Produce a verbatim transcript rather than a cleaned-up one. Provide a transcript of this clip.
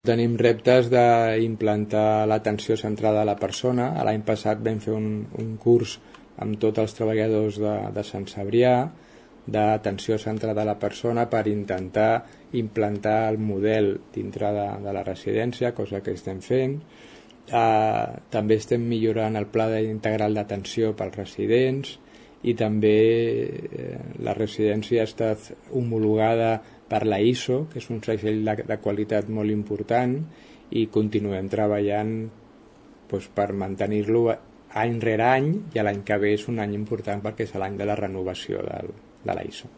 Tenim reptes d'implantar l'atenció centrada a la persona. L'any passat vam fer un, un curs amb tots els treballadors de, de Sant Cebrià d'atenció centrada a la persona per intentar implantar el model dintre de, de la residència, cosa que estem fent. Eh, també estem millorant el pla integral d'atenció pels residents i també eh, la residència ha estat homologada per la I S O, que és un segell de, de qualitat molt important, i continuem treballant doncs, per mantenir-lo any rere any, i l'any que ve és un any important perquè és l'any de la renovació del, de la I S O.